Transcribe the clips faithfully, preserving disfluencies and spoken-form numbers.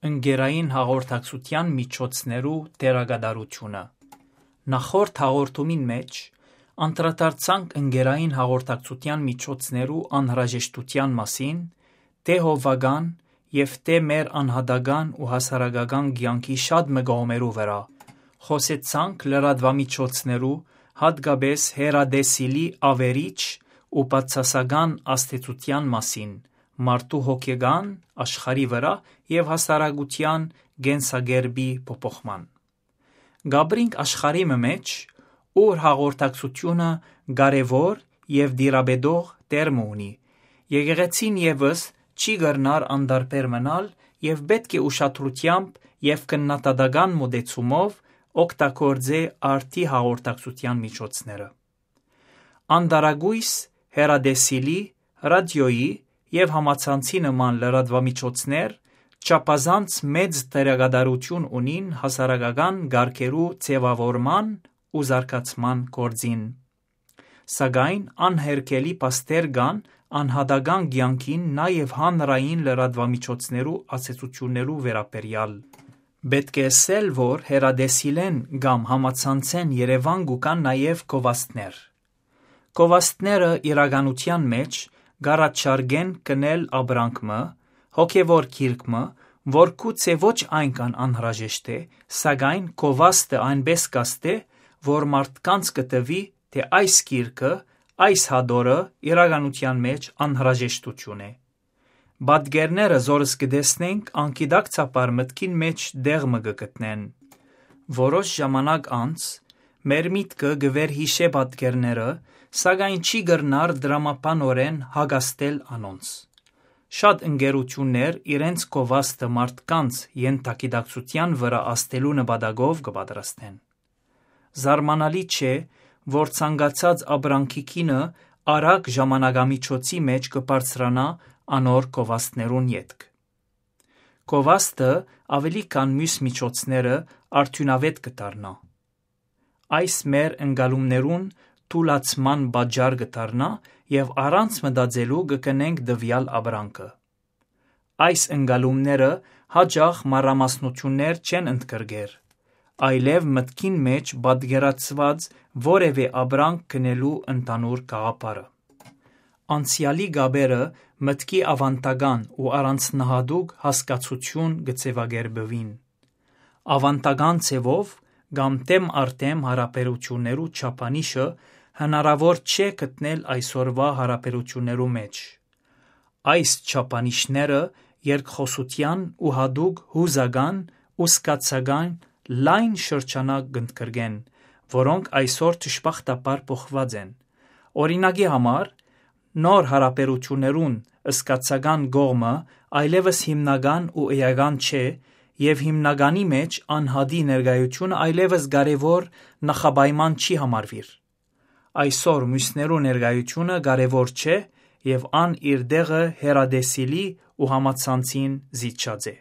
Ընկերային հաղորդակցութեան միջոցներու դերակատարութիւնը։ Նախորդ հաղորդումին մէջ անդրադարձանք ընկերային հաղորդակցութեան միջոցներու անհրաժեշտութեան մասին, թէ հովուական եւ թէ մեր անհատական ու հասարակական կեանքի շատ մը կողմերու վրայ։ Խօսեցանք լրատուամիջոցներու, յատկապէս հեռատեսիլի աւերիչ ու բացասական ազդեցութեան մասին մարդու հոգեկան աշխարհի վրայ եւ հասարակութեան կենսակերպի փոփոխման։ Կապրինք աշխարհի մը մէջ, ուր հաղորդակցութիւնը կարեւոր եւ տիրապետող տեղ մը ունի։ Եկեղեցին եւս չի կրնար անտարբեր մնալ եւ պէտք է ուշադրութեամբ եւ քննադատական մոտեցումով օգտագործէ արդի հաղորդակցութեան միջոցները։ Անտարակոյս հեռատեսիլի, ռադիոյի եւ համացանցի նման լրատուամիջոցներ չափազանց մեծ դերակատարութիւն ունին հասարակական կարգերու ձեւաւորման ու զարգացման գործին։ Սակայն անհերքելի փաստեր կան անհատական կեանքին, նաեւ հանրային լրատուամիջոցներու ազդեցութիւններու վերաբերեալ։ Պէտք է ըսել, որ հեռատեսիլէն կամ համացանցէն երեւան կու կան նաեւ գովազդներ։ Գովազդները իրականութեան մէջ կառաջարկեն կնել ապրանք մը, հոգեւոր գիրք մը, որ գուցե ոչ այնքան անհրաժեշտ է, սակայն գովազդը այնպէս կ'ազդէ, որ մարդկանց կը թուի, թէ այս գիրքը, այս հատորը իրականութեան մէջ անհրաժեշտութիւն է։ Պատկերները, զորս կը տեսնենք, անգիտակցաբար մտքին մէջ տեղ մը կը գտնեն։ Որոշ ժամանակ անց մեր միտքը կը վերհիշէ պատկերները, սակայն չի կրնար դրամաբանօրէն հակազդել անոնց։ Շատ ընկերութիւններ իրենց գովազդը մարդկանց ենթագիտակցութեան վրայ ազդելու նպատակով կը պատրաստեն։ Զարմանալի չէ, որ ցանկացած ապրանքի գինը արագ ժամանակամիջոցի մէջ կը բարձրանայ անոր գովազդներուն ետք։ Գովազդը աւելի քան միւս միջոցները արդիւնաւէտ կը դառնայ։ Այս մեր ընկալումներուն թուլացման պատճառ կը դառնայ եւ առանց մտածելու կը գնենք տուեալ ապրանքը։ Այս ընկալումները յաճախ մանրամասնութիւններ չեն ընդգրկեր, այլեւ մտքին մէջ պատկերացուած որեւէ ապրանք գնելու ընդհանուր գաղափարը։ Անցեալի կապերը մտքի աւանդական ու առանձնահատուկ հասկացութիւն կը ձեւակերպուին։ Աւանդական ձեւով կամ դէմ առ դէմ յարաբերութիւններու չափանիշը հնարաւոր չէ գտնել այսօրուայ յարաբերութիւններու մէջ։ Այս չափանիշները երկխօսութեան ու յատուկ յուզական ու զգացական լայն շրջանակ կ'ընդգրկեն, որոնք այսօր դժբախտաբար փոխուած են։ Օրինակի համար, նոր յարաբերութիւններուն զգացական կողմը այլեւս հիմնական ու էական չէ եւ հիմնականի մէջ անհատի ներկայութիւնը այլեւս կարեւոր նախապայման չի համարուիր։ Այսօր միւսներու ներկայութիւնը կարեւոր չէ եւ ան իր տեղը հեռատեսիլի ու համացանցին զիջած է։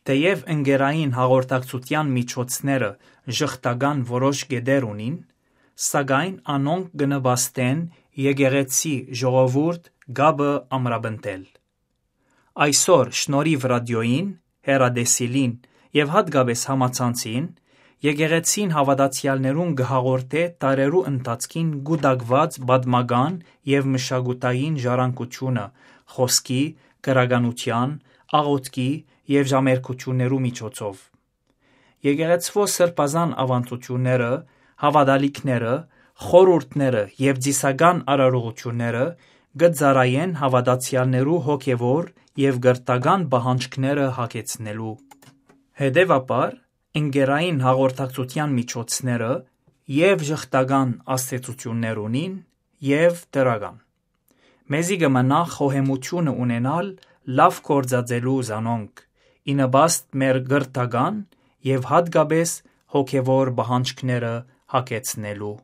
Թէեւ ընկերային հաղորդակցութեան միջոցները ժխտական որոշ կետեր ունին, սակայն անոնք կը նպաստեն եկեղեցի, ժողովուրդ կապը ամրապնդել։ Այսօր շնորհիւ ռադիոյին, հեռատեսիլին եւ յատկապէս համացանցին, եկեղեցին հաւատացեալներուն կը հաղորդէ դարերու ընթացքին կուտակուած պատմական եւ մշակութային ժառանգութիւնը, խօսքի, գրականութեան, աղօթքի եւ ժամերգութիւններու միջոցով։ Եկեղեցւոյ սրբազան աւանդութիւնները, հաւատալիքները, խորհուրդները եւ ծիսական արարողութիւնները կը ծառայեն հաւատացեալներու հոգեւոր եւ կրթական պահանջքները յագեցնելու։ Հետեւաբար, ընկերային հաղորդակցութեան միջոցները եւ ժխտական ազդեցութիւններ ունին եւ դրական։ Մեզի կը մնայ խոհեմութիւնը ունենալ լաւ գործածելու զանոնք, ի նպաստ մեր կրթական եւ յատկապէս հոգեւոր պահանջքները յագեցնելու։